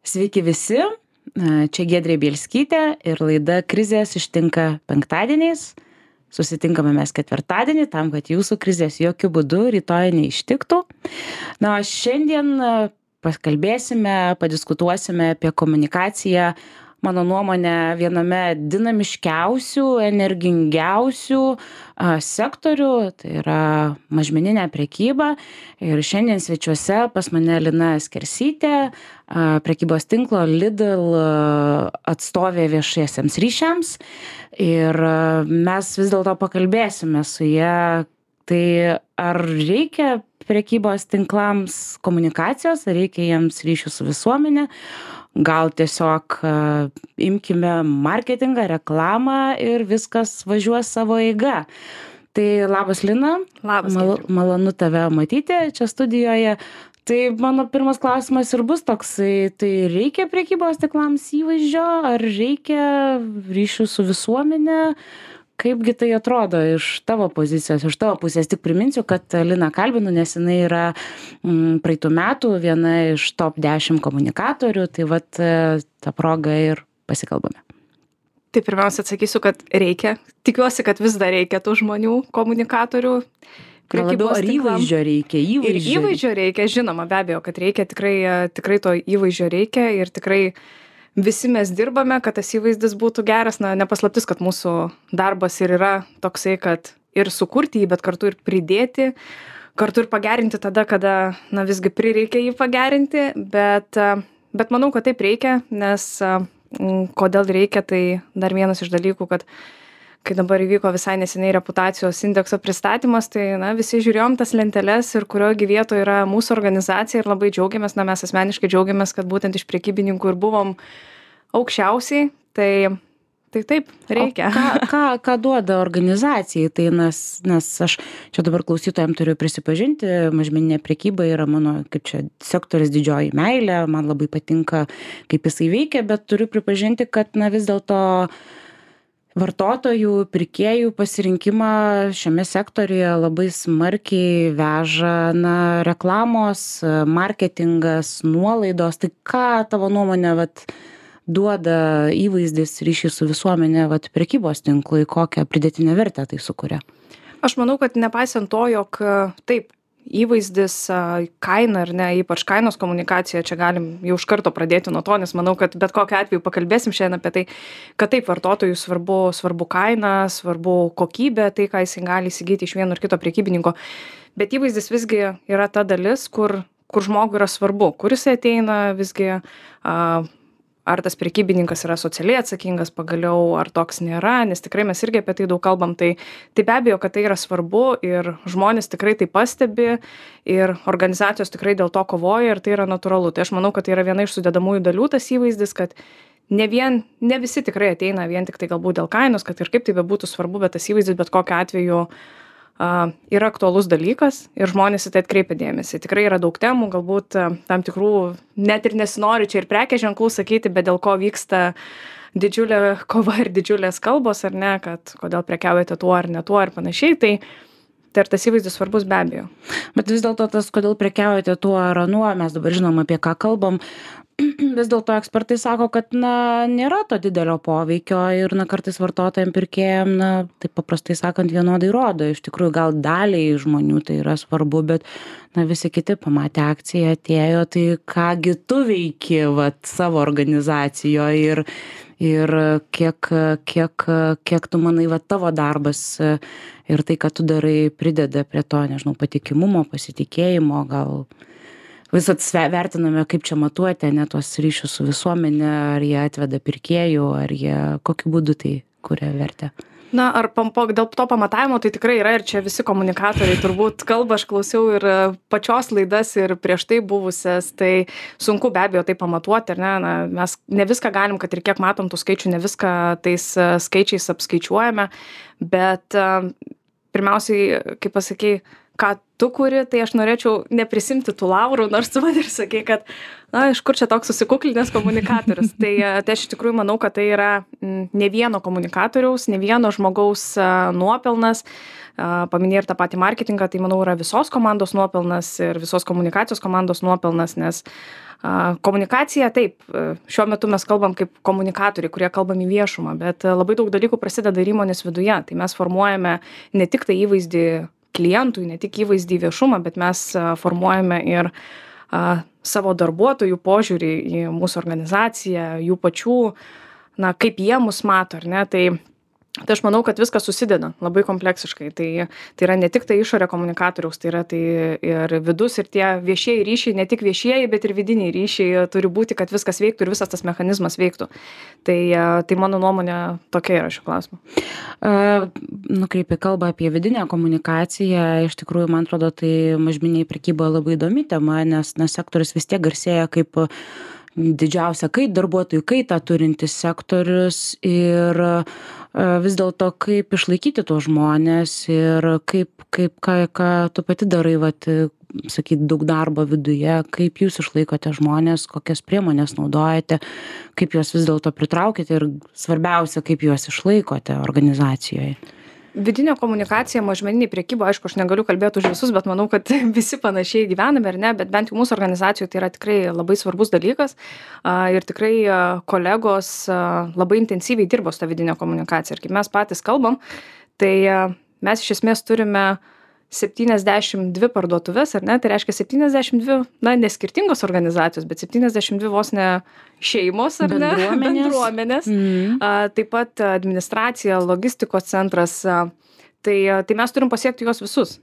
Sveiki visi, čia Giedrė Bielskytė ir laida Krizės ištinka penktadieniais. Susitinkame mes ketvirtadienį tam, kad jūsų krizės jokių būdų rytoj neištiktų. Na, o šiandien pakalbėsime, padiskutuosime apie komunikaciją, mano nuomonė, viename dinamiškiausių, energingiausių sektorių, tai yra mažmeninė prekyba. Ir šiandien svečiuose pas mane Lina Skersytė, prekybos tinklo Lidl atstovė viešiesiems ryšiams. Ir mes vis dėlto pakalbėsime su ja, tai ar reikia prekybos tinklams komunikacijos, ar reikia jiems ryšių su visuomenė. Gal tiesiog imkime marketingą, reklamą ir viskas važiuos savo eiga. Tai labas, Lina. Labas. Malonu tave matyti čia studijoje. Tai mano pirmas klausimas ir bus toksai, tai reikia prekybos tinklams įvaizdžio, ar reikia ryšių su visuomenė? Kaipgi tai atrodo iš tavo pozicijos, iš tavo pusės? Tik priminsiu, kad Liną kalbinu, nes jinai yra praeitų metų viena iš top 10 komunikatorių, tai vat tą progą ir pasikalbame. Tai pirmiausia atsakysiu, kad reikia. Tikiuosi, kad vis dar reikia tų žmonių, komunikatorių. Labiau ar įvaizdžio reikia? Ir įvaizdžio reikia, žinoma, be abejo, kad reikia, tikrai to įvaizdžio reikia ir tikrai visi mes dirbame, kad tas įvaizdis būtų geras. Na, nepaslaptis, kad mūsų darbas ir yra toksai, kad ir sukurti jį, bet kartu ir pridėti, kartu ir pagerinti tada, kada, na, visgi prireikia jį pagerinti, bet manau, kad taip reikia, nes kodėl reikia, tai dar vienas iš dalykų, kad kai dabar įvyko visai neseniai reputacijos indekso pristatymas, tai, na, visi žiūrėjom tas lenteles ir kurioje vietoje yra mūsų organizacija ir labai džiaugiamės, na, mes asmeniškai džiaugiamės, kad būtent iš prekybininkų ir buvom aukščiausiai, tai taip, reikia. Ką duoda organizacijai? Tai nes aš čia dabar klausytojams turiu prisipažinti, mažmeninė prekyba yra mano, kaip čia, sektorius didžioji meilė, man labai patinka, kaip jisai veikia, bet turiu pripažinti, kad, na, vis dėlto vartotojų, pirkėjų pasirinkimą šiame sektoriuje labai smarkiai veža, na, reklamos, marketingas, nuolaidos. Tai ką tavo nuomonė duoda įvaizdis ryšį su visuomenė prekybos tinklui, kokią pridėtinę vertę tai sukuria? Aš manau, kad nepaisant to, jog taip, įvaizdis, kaina ar ne, ypač kainos komunikacija, čia galim jau iš karto pradėti nuo to, nes manau, kad bet kokiu atveju pakalbėsim šiandien apie tai, kad taip, vartotojui svarbu kaina, svarbu kokybė, tai ką jis gali įsigyti iš vieno ar kito prekybininko, bet įvaizdis visgi yra ta dalis, kur žmogui yra svarbu, kur jis ateina, visgi ar tas prekybininkas yra socialiai atsakingas pagaliau, ar toks nėra, nes tikrai mes irgi apie tai daug kalbam, tai be abejo, kad tai yra svarbu ir žmonės tikrai tai pastebi ir organizacijos tikrai dėl to kovoja ir tai yra natūralu. Tai aš manau, kad tai yra viena iš sudedamųjų dalių tas įvaizdis, kad ne visi tikrai ateina vien tik tai galbūt dėl kainos, kad ir kaip tai bebūtų svarbu, bet tas įvaizdis bet kokiu atveju yra aktualus dalykas ir žmonės į tai atkreipia dėmesį. Tikrai yra daug temų, galbūt tam tikrų, net ir nesinori čia ir prekės ženklų sakyti, bet dėl ko vyksta didžiulė kova ir didžiulės kalbos, ar ne, kad kodėl prekiaujate tuo ar ne tuo ir panašiai, tai ir tas įvaizdis svarbus be abejo. Bet vis dėlto tas, kodėl prekiaujate tuo ar anuo, mes dabar žinom, apie ką kalbam. Vis dėlto ekspertai sako, kad, na, nėra to didelio poveikio ir, na, kartais vartotojams, pirkėjams, na, taip paprastai sakant, vienodai rodo. Iš tikrųjų, gal daliai žmonių tai yra svarbu, bet, na, visi kiti pamatė akciją, atėjo, tai kągi tu veiki, savo organizacijoje ir kiek tu manai, tavo darbas ir tai, ką tu darai, prideda prie to, nežinau, patikimumo, pasitikėjimo, gal visat vertiname, kaip čia matuoti, ne, tuos ryšius su visuomenė, ar jie atveda pirkėjų, ar jie kokiu būdu tai kuria vertę. Na, ar dėl to pamatavimo tai tikrai yra ir čia visi komunikatoriai turbūt kalba, aš klausiau ir pačios laidas ir prieš tai buvusias, tai sunku be abejo tai pamatuoti, ar ne, na, mes ne viską galim, kad ir kiek matom tų skaičių, ne viską tais skaičiais apskaičiuojame, bet pirmiausiai, kaip pasakei, ką tu kuri, tai aš norėčiau neprisimti tų laurų, nors tu man ir sakei, kad, na, iš kur čia toks susikuklinęs komunikatorius. Tai aš iš tikrųjų manau, kad tai yra ne vieno komunikatoriaus, ne vieno žmogaus nuopelnas. Paminėjai ir tą patį marketingą, tai manau yra visos komandos nuopelnas ir visos komunikacijos komandos nuopelnas, nes komunikacija, taip, šiuo metu mes kalbam kaip komunikatoriai, kurie kalbam į viešumą, bet labai daug dalykų prasideda ir įmonės viduje. Tai mes formuojame ne tik tai įvaizdį klientui, ne tik įvaizdį į viešumą, bet mes formuojame ir savo darbuotojų požiūrį į mūsų organizaciją, jų pačių, na, kaip jie mus mato, ar ne? Tai aš manau, kad viskas susideda labai kompleksiškai. Tai yra ne tik tai išorė komunikatoriaus, tai yra tai ir vidus, ir tie viešieji ryšiai, ne tik viešieji, bet ir vidiniai ryšiai turi būti, kad viskas veiktų ir visas tas mechanizmas veiktų. Tai mano nuomonė tokia yra šiuo klausimu. Nukreipia kalbą apie vidinę komunikaciją. Iš tikrųjų, man atrodo, tai mažmeninė prekyba labai įdomi tema, nes sektorius vis tiek garsėja kaip didžiausia darbuotojų kaitą turintis sektorius ir vis dėlto kaip išlaikyti tuos žmones ir ką tu pati darai, sakyt, daug darbo viduje, kaip jūs išlaikote žmones, kokias priemonės naudojate, kaip juos vis dėlto pritraukite ir svarbiausia, kaip juos išlaikote organizacijoje. Vidinė komunikacija mažmeninėj prekyboj, aišku, aš negaliu kalbėti už visus, bet manau, kad visi panašiai gyvename, ar ne, bet bent jau mūsų organizacijoje tai yra tikrai labai svarbus dalykas ir tikrai kolegos labai intensyviai dirbo su ta vidinė komunikacija. Ir kaip mes patys kalbam, tai mes iš esmės turime 72 parduotuvės, ar ne, tai reiškia 72, na, ne skirtingos organizacijos, bet 72 vos ne šeimos, ar ne, bendruomenės. Taip pat administracija, logistikos centras, tai mes turim pasiekti juos visus.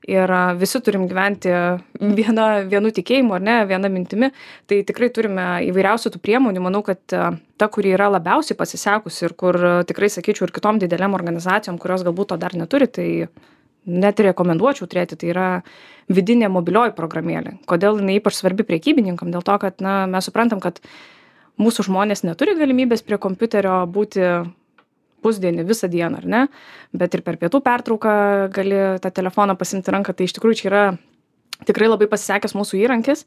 Ir visi turim gyventi vienu tikėjimu, ar ne, viena mintimi. Tai tikrai turime įvairiausių tų priemonių. Manau, kad ta, kuri yra labiausiai pasisekusi ir kur tikrai, sakyčiau, ir kitom dideliam organizacijom, kurios galbūt to dar neturi, tai net rekomenduočiau turėti, tai yra vidinė mobilioji programėlė. Kodėl jinai ypač svarbi prekybininkam? Dėl to, kad mes suprantam, kad mūsų žmonės neturi galimybės prie kompiuterio būti pusdienį, visą dieną, ar ne? Bet ir per pietų pertrauką gali tą telefoną pasimti ranką. Tai iš tikrųjų čia yra tikrai labai pasisekęs mūsų įrankis,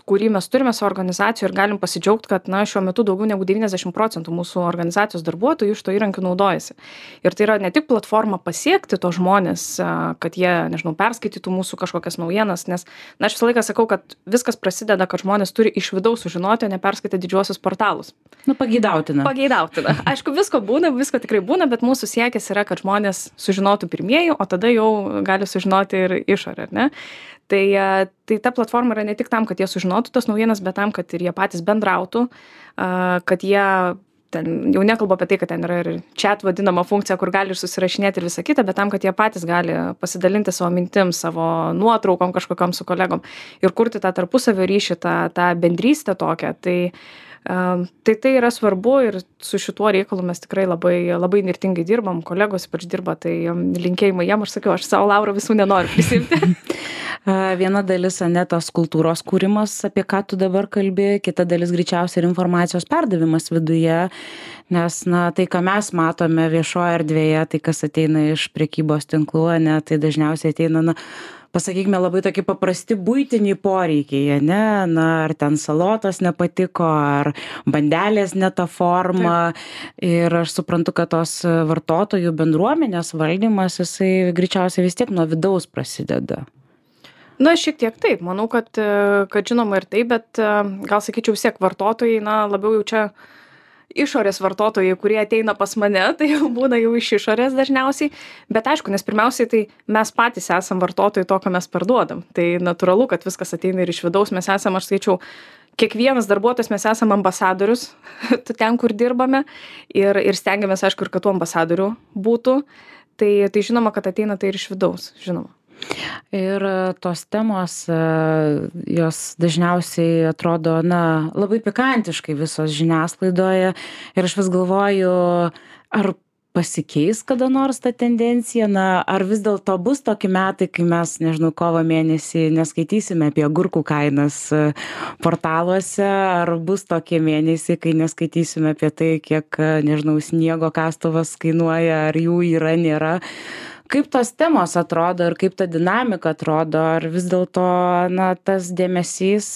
kurį mes turime savo organizacijoje ir galim pasidžiaugti, kad šiuo metu daugiau negu 90% mūsų organizacijos darbuotojų iš to įrankių naudojasi. Ir tai yra ne tik platforma pasiekti to žmonės, kad jie, nežinau, perskaitytų mūsų kažkokias naujienas, nes aš visą laiką sakau, kad viskas prasideda, kad žmonės turi iš vidaus sužinoti, o ne perskaityti didžiuosius portalus. Pageidautina. Aišku, visko tikrai būna, bet mūsų siekis yra, kad žmonės sužinotų pirmieji, o tada jau gali sužinoti ir išorė, ar ne? Tai ta platforma yra ne tik tam, kad jie sužinotų tas naujienas, bet tam, kad ir jie patys bendrautų, kad jie, ten, jau nekalbu apie tai, kad ten yra ir chat vadinama funkcija, kur gali ir susirašinėti ir visą kitą, bet tam, kad jie patys gali pasidalinti savo mintim, savo nuotraukom kažkokiam su kolegom ir kurti tą tarpusavio ryšį, tą bendrystę tokią. Tai yra svarbu ir su šituo reikalu mes tikrai labai, labai nirtingai dirbam, kolegos ypač dirba, tai linkėjimai jiem, aš sakiau, aš savo laurų visų nenoriu prisimti. Viena dalis, tos kultūros kūrimas, apie ką tu dabar kalbi, kita dalis greičiausiai ir informacijos perdavimas viduje, nes tai, ką mes matome viešoje erdvėje, tai kas ateina iš prekybos tinklų, tai dažniausiai ateina, pasakykime, labai tokie paprasti buitiniai poreikiai, ar ten salotos nepatiko, ar bandelės ne ta forma. Taip. Ir aš suprantu, kad tos vartotojų bendruomenės valdymas, jisai greičiausiai vis tiek nuo vidaus prasideda. Šiek tiek taip. Manau, kad žinoma ir taip, bet gal sakyčiau vis tiek vartotojai, labiau jau čia išorės vartotojai, kurie ateina pas mane, tai jau būna jau iš išorės dažniausiai. Bet aišku, nes pirmiausiai tai mes patys esam vartotojai to, ką mes parduodam. Tai natūralu, kad viskas ateina ir iš vidaus. Mes esam, aš skaičiau, kiekvienas darbuotojas mes esam ambasadorius ten, kur dirbame. Ir stengiamės, aišku, ir kad tų ambasadorių būtų. Tai žinoma, kad ateina tai ir iš vidaus, žinoma. Ir tos temos, jos dažniausiai atrodo, labai pikantiškai visos žiniasklaidoje. Ir aš vis galvoju, ar pasikeis kada nors ta tendencija, ar vis dėlto bus tokie metai, kai mes, nežinau, kovo mėnesį neskaitysime apie agurkų kainas portaluose, ar bus tokie mėnesiai, kai neskaitysime apie tai, kiek, nežinau, sniego kastuvas kainuoja, ar jų yra, nėra. Kaip tos temos atrodo ir kaip ta dinamika atrodo? Ar vis dėlto, na, tas dėmesys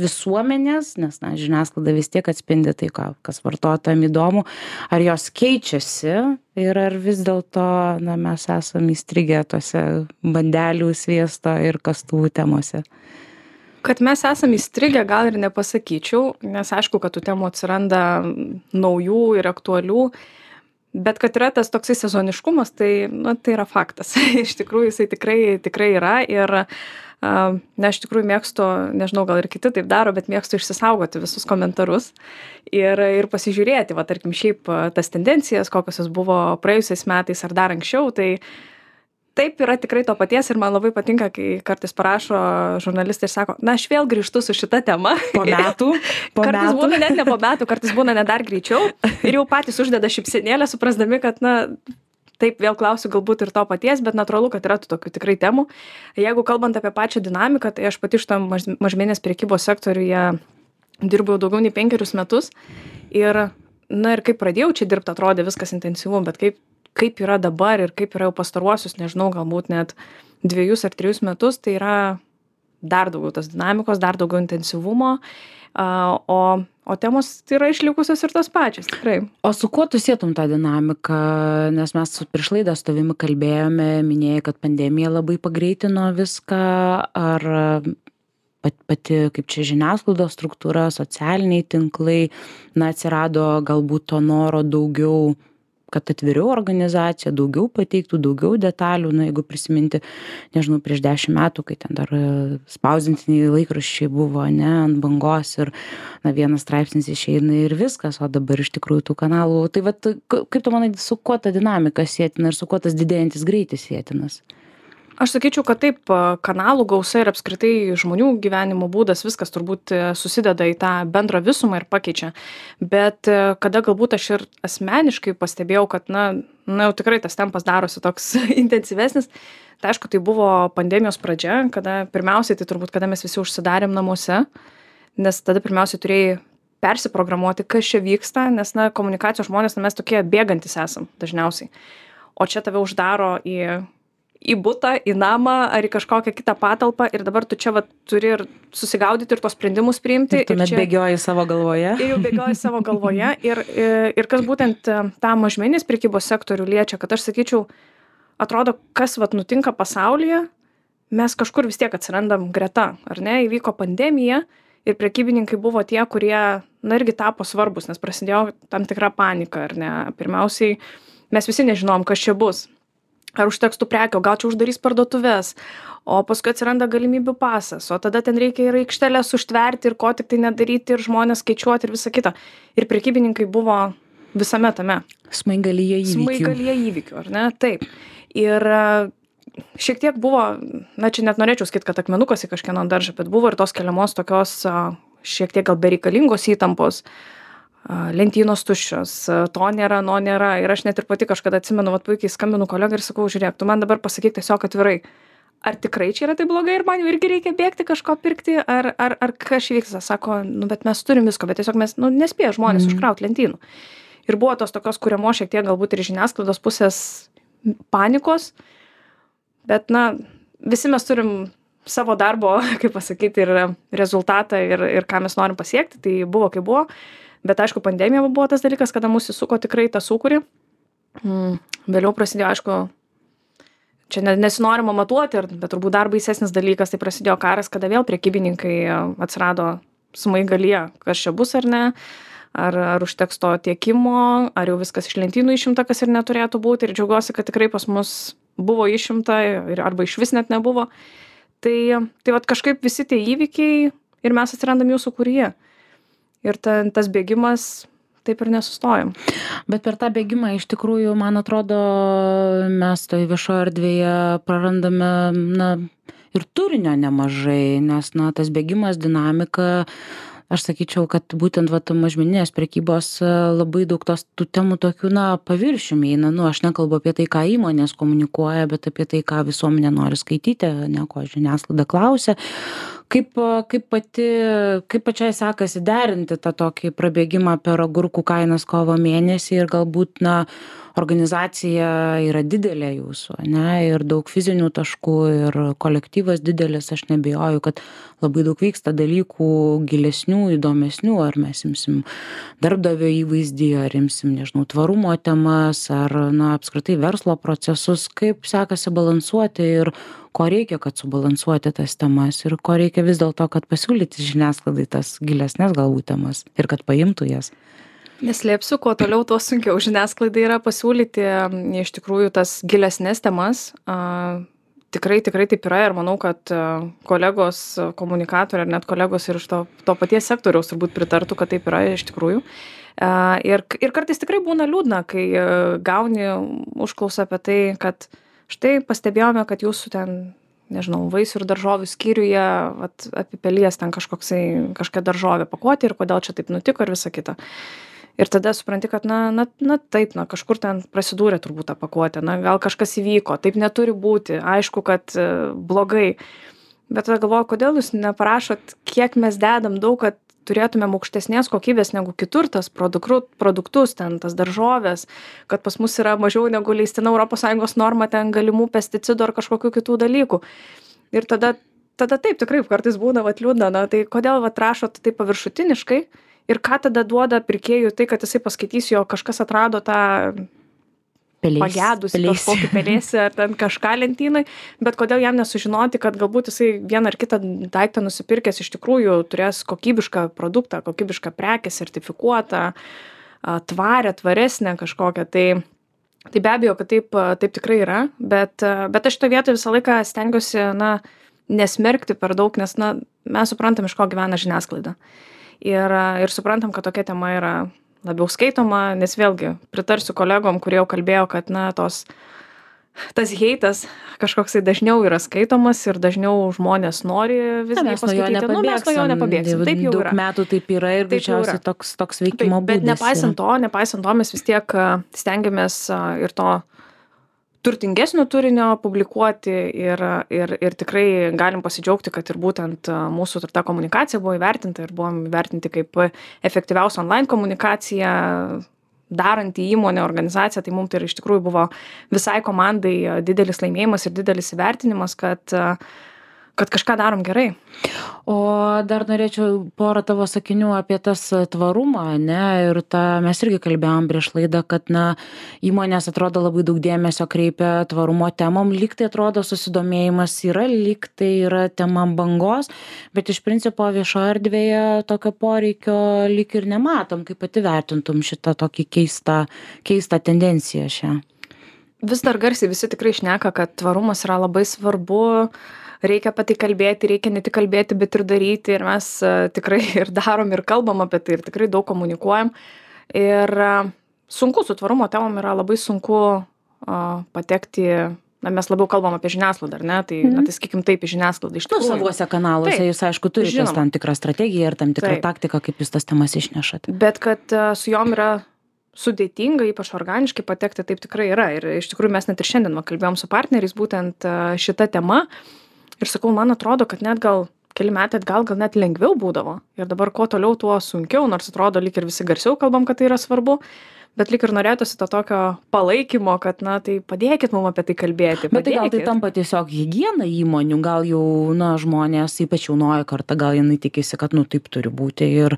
visuomenės, nes, na, žiniasklaida vis tiek atspindi tai, kas vartotojam įdomu, ar jos keičiasi ir ar vis dėlto, na, mes esame įstrigę tose bandelių, sviesto ir kastuvų temose? Kad mes esame įstrigę, gal ir nepasakyčiau, nes aišku, kad tų temų atsiranda naujų ir aktualių. Bet kad yra tas toksai sezoniškumas, tai, na, tai yra faktas. Iš tikrųjų, jisai tikrai yra ir na, iš tikrųjų mėgstu, nežinau, gal ir kiti taip daro, bet mėgstu išsisaugoti visus komentarus ir pasižiūrėti, va, tarkim, šiaip tas tendencijas, kokios jos buvo praėjusiais metais ar dar anksčiau, tai taip yra tikrai to paties ir man labai patinka, kai kartais parašo žurnalistai ir sako, na, aš vėl grįžtu su šita tema. Po metų. Kartais būna net ne po metų, kartais būna net dar greičiau ir jau patys uždeda šypsenėlę, suprasdami, kad, na, taip vėl klausiu galbūt ir to paties, bet natūralu, kad yra tų tokių tikrai temų. Jeigu kalbant apie pačią dinamiką, tai aš pati šitam mažmeninės prekybos sektoriuje dirbu jau daugiau nei 5 metus ir, na, ir kaip pradėjau čia dirbti, atrodė viskas intensyvu, bet kaip yra dabar ir kaip yra jau pastaruosius, nežinau, galbūt net 2 ar 3 metus, tai yra dar daugiau tas dinamikos, dar daugiau intensyvumo, o temos tai yra išlikusios ir tos pačios, tikrai. O su kuo tu sietum tą dinamiką, nes mes prieš laidą su tavimi kalbėjome, minėjai, kad pandemija labai pagreitino viską, ar pati kaip čia žiniasklaidos struktūra, socialiniai tinklai, na, atsirado galbūt to noro daugiau, kad atviriau organizacija, daugiau pateiktų, daugiau detalių, na, jeigu prisiminti, nežinau, prieš 10 metų, kai ten dar spausdintiniai laikraščiai buvo, ne, ant bangos ir, na, vienas straipsnis išeina ir viskas, o dabar iš tikrųjų tų kanalų. Tai vat, kaip tu manai, su kuo ta dinamika sėtina ir su kuo tas didėjantis greitis sėtinas? Aš sakyčiau, kad taip, kanalų gausa ir apskritai žmonių gyvenimo būdas, viskas turbūt susideda į tą bendrą visumą ir pakeičia. Bet kada galbūt aš ir asmeniškai pastebėjau, kad, na jau tikrai tas tempas darosi toks intensyvesnis, tai aišku, tai buvo pandemijos pradžia, kada pirmiausiai, tai turbūt, kada mes visi užsidarėm namuose, nes tada pirmiausiai turėjai persiprogramuoti, kas čia vyksta, nes, na, komunikacijos žmonės, na, mes tokie bėgantis esam dažniausiai. O čia tave uždaro į butą, į namą ar į kažkokią kitą patalpą ir dabar tu čia va, turi ir susigaudyti ir tos sprendimus priimti. Ir tuomet bėgioji savo galvoje. Ir jau bėgioji savo galvoje. Ir kas būtent tą mažmeninės prekybos sektorių liečia, kad aš sakyčiau, atrodo, kas va, nutinka pasaulyje, mes kažkur vis tiek atsirandam greta, ar ne? Įvyko pandemija ir prekybininkai buvo tie, kurie, na, irgi tapo svarbus, nes prasidėjo tam tikra panika, ar ne? Pirmiausiai, mes visi nežinom, kas čia bus. Ar užteks tų prekių, gal čia uždarys parduotuvės, o paskui atsiranda galimybių pasas, o tada ten reikia ir aikštelės užtverti ir ko tik tai nedaryti ir žmonės skaičiuoti ir visą kitą. Ir prekybininkai buvo visame tame. Smaigalyje įvykių, ar ne? Taip. Ir šiek tiek buvo, na čia net norėčiau sakyti, kad akmenukas į kažkieno daržą, bet buvo ir tos keliamos tokios šiek tiek gal bereikalingos įtampos. Lentynos tuščios, to nėra, no nėra. Ir aš net ir pati kažkada atsimenu, vat puikiai skambinu kolegai ir sakau, žiūrėk, tu man dabar pasakyk tiesiog atvirai, ar tikrai čia yra tai blogai ir man jau irgi reikia bėgti kažko pirkti, ar kas vyksta. Sako, nu bet mes turim visko, bet tiesiog mes, nu, nespėja žmonės užkrauti lentynų. Ir buvo tos tokios kuriamos šiek tiek galbūt ir žiniasklaidos pusės panikos, bet, na, visi mes turim savo darbo, kaip pasakyti, ir rezultatą ir ką mes norim pasiekti, tai buvo kaip buvo. Bet aišku, pandemija buvo tas dalykas, kada mūsų įsuko tikrai tą sūkurį. Vėliau prasidėjo, aišku, čia nesinorima matuoti, bet turbūt dar baisesnis dalykas, tai prasidėjo karas, kada vėl prekybininkai atsirado smaigalyje, kas čia bus ar ne, ar užteks to tiekimo, ar jau viskas iš lentynų išimta, kas ir neturėtų būti. Ir džiaugiuosi, kad tikrai pas mus buvo išimta arba iš vis net nebuvo. Tai vat kažkaip visi tie įvykiai ir mes atsirandam jų sūkuryje. Ir tas bėgimas taip ir nesustojom. Bet per tą bėgimą iš tikrųjų, man atrodo, mes toj viešoje erdvėje prarandame, na, ir turinio nemažai, nes, na, tas bėgimas, dinamika, aš sakyčiau, kad būtent va, mažmeninės prekybos labai daug tų temų tokių, na, paviršiumi eina. Nu, aš nekalbu apie tai, ką įmonės komunikuoja, bet apie tai, ką visuomenė nori skaityti, ne ko žiniasklaida klausia, Kaip pačiai sekasi derinti tą tokį prabėgimą per agurkų kainas kovo mėnesį ir galbūt, organizacija yra didelė jūsų, ane, ir daug fizinių taškų ir kolektyvas didelis, aš neabejoju, kad labai daug vyksta dalykų gilesnių, įdomesnių, ar mes imsim darbdavio įvaizdį, ar imsim, nežinau, tvarumo temas, ar, apskritai verslo procesus, kaip sekasi balansuoti ir ko reikia, kad subalansuoti tas temas ir ko reikia vis dėlto, kad pasiūlyti žiniasklaidai tas gilesnės galbūt temas ir kad paimtų jas. Neslėpsiu, kuo toliau, tuo sunkiau žiniasklaidai yra pasiūlyti iš tikrųjų tas gilesnės temas. Tikrai taip yra ir manau, kad kolegos komunikatoriai ar net kolegos ir iš to paties sektoriaus turbūt pritartų, kad taip yra iš tikrųjų. Ir kartais tikrai būna liūdna, kai gauni užklausą apie tai, kad štai pastebėjome, kad jūsų ten, nežinau, vaisių ir daržovių skyriuje apipelies ten kažkokia daržovė pakuotė ir kodėl čia taip nutiko ir visa kita. Ir tada supranti, kad taip, kažkur ten prasidūrė turbūt tą pakuotę, gal kažkas įvyko, taip neturi būti, aišku, kad blogai. Bet tada galvoju, kodėl jūs neparašot, kiek mes dedam daug, kad turėtumėm aukštesnės kokybės negu kitur tas produktus, ten tas daržovės, kad pas mus yra mažiau negu leistina ES norma ten galimų pesticidų ar kažkokių kitų dalykų. Ir tada taip tikrai kartais būna liūdna, tai kodėl rašot taip paviršutiniškai ir ką tada duoda pirkėjui tai, kad jisai paskaitys, jo kažkas atrado tą pagedusį kažkokį pelėsį ar ten kažką lentynai, bet kodėl jam nesužinoti, kad galbūt jisai vieną ar kitą daiktą nusipirkęs iš tikrųjų turės kokybišką produktą, kokybišką prekę, sertifikuotą, tvaresnę kažkokią. Tai be abejo, kad taip tikrai yra, bet aš šitoje vietoje visą laiką stengiuosi, nesmerkti per daug, nes, mes suprantam, iš ko gyvena žiniasklaida. Ir suprantam, kad tokia tema yra labiau skaitoma, nes vėlgi pritarsiu kolegom, kurie jau kalbėjo, kad tas heitas kažkoksai dažniau yra skaitomas ir dažniau žmonės nori viską paskaityti. Mes nuo jo nepabėgsim. Taip jau yra. Daug metų taip yra ir greičiausiai toks veikimo būdas. Bet nepaisant to, mes vis tiek stengiamės ir to turtingesnio turinio publikuoti ir tikrai galim pasidžiaugti, kad ir būtent mūsų ta komunikacija buvo įvertinta ir buvom įvertinti kaip efektyviausia online komunikacija daranti įmonė, organizacija, tai mums tai iš tikrųjų buvo visai komandai didelis laimėjimas ir didelis įvertinimas, kad kažką darom gerai. O dar norėčiau porą tavo sakinių apie tas tvarumą, ir mes irgi kalbėjom prieš laidą, kad įmonės atrodo labai daug dėmesio kreipia tvarumo temom, lyg tai atrodo susidomėjimas yra, lyg tai yra tema bangos, bet iš principo viešoje erdvėje tokio poreikio lyg ir nematom, kaip pati vertintum šitą tokį keistą tendenciją šią. Vis dar garsiai visi tikrai šneka, kad tvarumas yra labai svarbu, reikia apie tai kalbėti, reikia ne tik kalbėti, bet ir daryti. Ir mes tikrai ir darom, ir kalbam apie tai, ir tikrai daug komunikuojam. Ir sunku su tvarumo temom yra labai sunku patekti. Mes labiau kalbam apie žiniasklaidą, ar ne? Tai, tai sakykim taip, į žiniasklaidą iš tikrųjų. Savuose kanaluose jūs, aišku, turite tam tikrą strategiją ir tam tikrą taktiką, kaip jūs tas temas išnešate. Bet kad su jom yra sudėtinga, ypač organiškai patekti, taip tikrai yra. Ir iš tikrųjų mes net ir šiandien kalbėjom su partneriais būtent šita tema. Ir sakau, man atrodo, kad net gal keli metai atgal gal net lengviau būdavo. Ir dabar kuo toliau, tuo sunkiau, nors atrodo, lyg ir visi garsiau kalbam, kad tai yra svarbu. Bet lyg ir norėtųsi to tokio palaikymo, kad, tai padėkit mums apie tai kalbėti. Bet tai gal tai tampa tiesiog higiena įmonių, gal jau, žmonės, ypač jaunoji karta, gal jinai tikisi, kad, taip turi būti ir,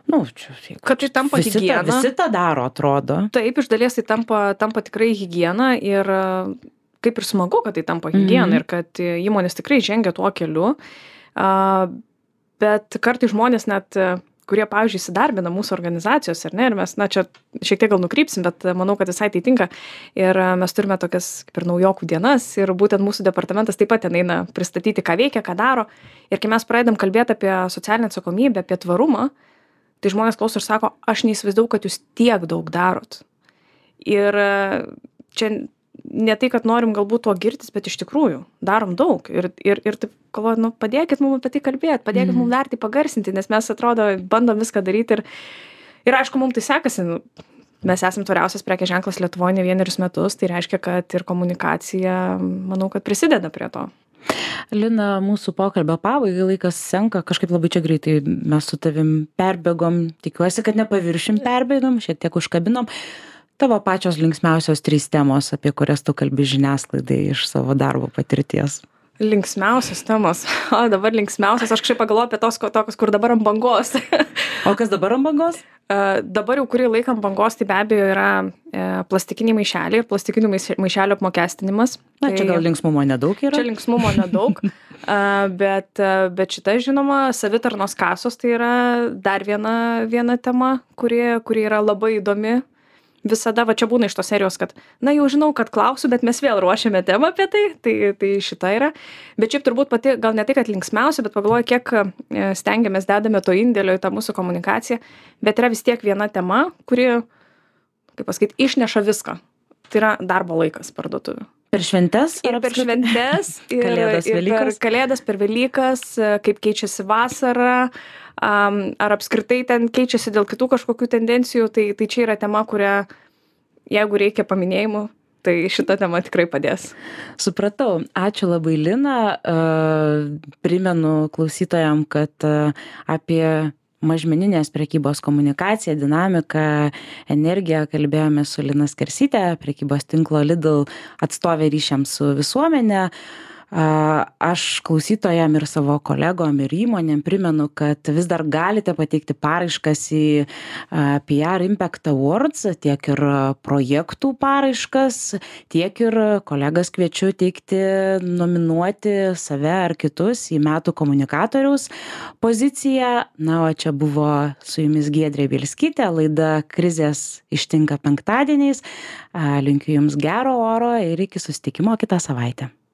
kad tai tampa higiena. Visi tą daro, atrodo. Taip, iš dalies tai tampa tikrai higiena ir kaip ir smagu, kad tai tampa higiena ir kad įmonės tikrai žengia tuo keliu. Bet kartai žmonės net, kurie, pavyzdžiui, įsidarbina mūsų organizacijos, ar ne, ir mes, čia šiek tiek gal nukrypsim, bet manau, kad visai tai tinka. Ir mes turime tokias kaip ir naujokų dienas ir būtent mūsų departamentas taip pat ten eina pristatyti, ką veikia, ką daro. Ir kai mes pradedam kalbėti apie socialinę atsakomybę, apie tvarumą, tai žmonės klauso ir sako, aš neįsivaizdavau, kad jūs tiek daug darot. Ir čia ne tai, kad norim galbūt tuo girtis, bet iš tikrųjų darom daug. Ir taip galvoju, padėkit mums apie tai kalbėti, padėkit mums dar tai pagarsinti, nes mes atrodo bandom viską daryti ir aišku, mums tai sekasi. Mes esam tvariausias prekės ženklas Lietuvoje ne vienerius metus, tai reiškia, kad ir komunikacija, manau, kad prisideda prie to. Lina, mūsų pokalbio pabaigai laikas senka, kažkaip labai čia greitai mes su tavim perbėgom, tikiuosi, kad nepaviršim perbėgom, šiek tiek užkabinom. Tavo pačios linksmiausios 3 temos, apie kurias tu kalbi žiniasklaidai iš savo darbo patirties. Linksmiausios temos. O, dabar linksmiausios. Aš kažkaip pagalvoju apie tokius, kur dabar ant bangos. O kas dabar ant bangos? Dabar jau kurį laiką ant bangos, tai be abejo yra plastikiniai maišeliai ir plastikinių maišelių apmokestinimas. Na, čia gal linksmumo nedaug yra? Čia linksmumo nedaug, bet šita, žinoma, savitarnos kasos tai yra dar viena tema, kuri yra labai įdomi. Visada, va čia būna iš tos serijos, kad, na jau žinau, kad klausiu, bet mes vėl ruošiame temą apie tai šita yra. Bet šiaip turbūt pati, gal ne tai, kad linksmiausia, bet pagalvoju, kiek stengiamės, dedame to indėlio į tą mūsų komunikaciją, bet yra vis tiek viena tema, kuri, kaip pasakyti, išneša viską. Tai yra darbo laikas parduotuvių. Per šventes? Ir per šventes, Kalėdas, Velykas? Per Kalėdas, per Velykas, kaip keičiasi vasara, ar apskritai ten keičiasi dėl kitų kažkokių tendencijų, tai čia yra tema, kurią, jeigu reikia paminėjimų, tai šita tema tikrai padės. Supratau. Ačiū labai, Lina. Primenu klausytojam, kad apie mažmeninės prekybos komunikaciją, dinamiką, energiją kalbėjome su Lina Skersytė, prekybos tinklo Lidl atstovė ryšiams su visuomenė. Aš klausytojam ir savo kolegom ir įmonėm primenu, kad vis dar galite pateikti paraiškas į PR Impact Awards, tiek ir projektų paraiškas, tiek ir kolegas kviečiu teikti, nominuoti save ar kitus į metų komunikatoriaus poziciją. Na, o čia buvo su jumis Giedrė Bielskytė, laida Krizės ištinka penktadieniais. Linkiu jums gero oro ir iki susitikimo kitą savaitę.